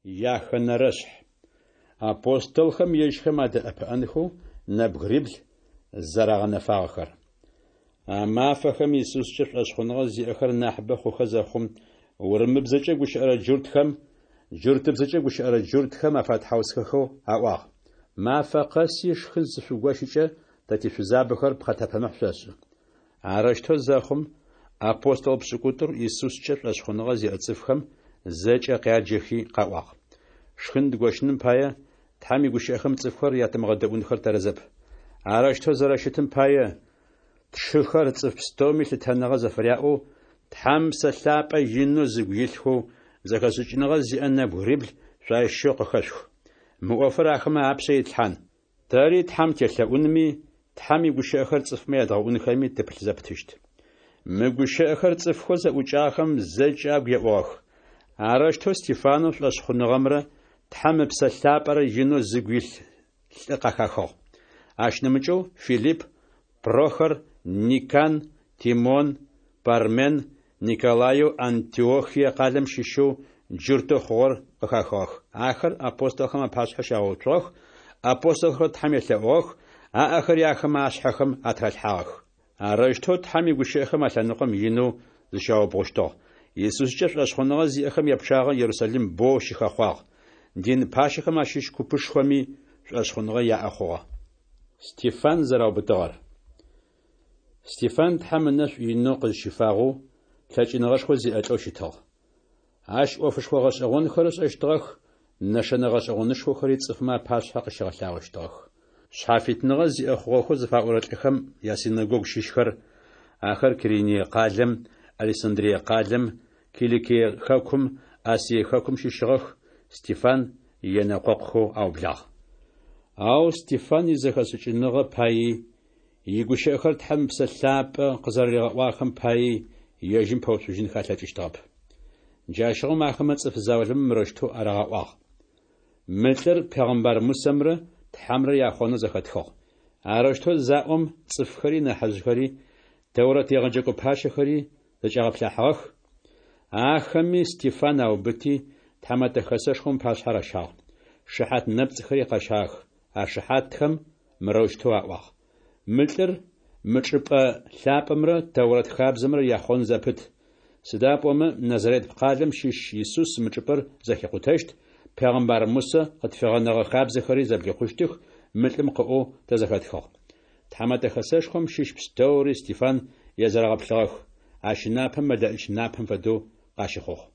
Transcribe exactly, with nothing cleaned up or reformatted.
Яхэнэрэшъхь. Апостолхэм ежьхэм адэӏэпыӏэнхэу нэбгырибл зэрагъэнэфагъэхэр. А мафэхэм Исускӏэ шӏошъхъуныгъэ зиӏэхэр нахьыбэ хъухэ зэхъум, урымыбзэкӏэ гущыӏэрэ джуртхэм джуртыбзэкӏэ гущыӏэрэ джуртхэм афэтхьаусхэхэу аӏуагъ: Мафэ къэси шхын зышъугощыкӏэ, тэ тишъузабэхэр пхъэтэпэмыхь шъошӏы. Арэущтэу зэхъум, апостол пшӏыкӏутӏур Исускӏэ шӏошъхъуныгъэ зиӏэ цӏыфхэм зэкӏэ къяджэхи къаӏуагъ: Шхын дгощыным пае, Тхьэм игущыӏэхэм цӏыфхэр ятымыгъэдэӏунхэр тэрэзэп. Арэущтэу зэрэщытым пае, тшыхэр, цӏыф пстэуми лъытэныгъэ зэфыряӏэу, Тхьэм Псэ Лъапӏэ инэу зыгу илъхэу, зэхэшӏыкӏыныгъэ зиӏэ нэбгырибл шъуащыщэу къыхэшъух. Мы ӏофыр ахэмэ апшъэ итлъхьан. Тэри Тхьэм телъэӏунми, Тхьэм игущыӏэхэр цӏыфмэ ядгъэӏунхэми тыпылъ зэпытыщт. Мы гущыӏэхэр цӏыфхэу зэӏукӏагъэхэм зэкӏэ агу еӏугъэх. Арэущтэу Стефанэу шӏошъхъуныгъэмрэ Тхьэм Ыпсэ Лъапӏэрэ инэу зыгу илъ лӏы къахахыгъ. Ащ нэмыкӏэу Филипп, Прохор, Никан, Тимон, Пармен, Николаеу Антиохие къалэм щыщэу джуртэу хъугъэр къыхахыгъэх. Ахэр апостолхэм апашъхьэ щагъэуцугъэх, апостолхэр Тхьэм елъэӏугъэх, аӏэхэри ахэмэ ашъхьэхэм атыралъхьагъэх. Арэущтэу Тхьэм игущыӏэхэм а лъэныкъом инэу зыщаубгъущтыгъ. Исускӏэ шӏошъхъуныгъэ зиӏэхэм япчъагъэ Ерусалим боу щыхэхъуагъ. Дин пащэхэм ащыщ купышхоми шӏошъхъуныгъэ яӏэ хъугъэ. Стефан зэраубытыгъэр. Стефан Тхьэм ынэшӏу инэу къызщифагъэу, лъэкӏыныгъэшхо зиӏэ лӏэу щытыгъ. Ащ ӏофышхо гъэшӏэгъонхэр ышӏэщтыгъэх, нэшэнэ гъэшӏэгъонышхохэри цӏыфмэ апашъхьэ къыщигъэлъагъощтыгъэх. Шъхьафитныгъэ зиӏэ хъугъэхэу зыфаӏорэ лӏыхэм ясинэгогу щыщхэр, ахэр Кириние къалэм, Александрие къалэм, Киликие хэкум, Асие хэкум щыщыгъэх, Стефан енэкъокъухэу аублагъ. Ау Стефан изэхэшӏыкӏыныгъэ паий, игущыӏэхэр Тхьэм Ыпсэ Лъапӏэ къызэрэригъэӏуагъэхэм паий ежьым пэуцужьынхэ алъэкӏыщтыгъэп. Джащыгъум ахэмэ цӏыф заулэмэ мырэущтэу арагъэӏуагъ: Мы лӏыр пегъымбар Мусэмрэ Тхьэмрэ яхъонэу зэхэтхыгъ. Арэущтэу заӏом, цӏыфхэри нахьыжъхэри, Тэурэт егъэджэкӏо пащэхэри зэкӏагъэплъахьыгъэх. Ахэми Стефан аубыти, Тхьэмэтэ Хэсэшхом ыпашъхьэ ращагъ. Шыхьат нэпцӏхэри къащагъэх. А шыхьатхэм мырэущтэу аӏуагъ: Мы лӏыр мы чӏыпӏэ лъапӏэмрэ Тэурэт хабзэмрэ яхъон зэпыт. Сыда пӏомэ Назарет къалэм щыщ Исус мы чӏыпӏэр зэхикъутэщт, пегъымбар Мусэ къытфигъэнэгъэ хабзэхэри зэблихъущтых мы лӏым къыӏоу тэ зэхэтхыгъ. Тхьэмэтэ Хэсэшхом щыщ пстэури Стефан езэрэгъэплъыгъэх. Ащ ынапэ мэлэӏич напэм фэдэу къащыхъугъ.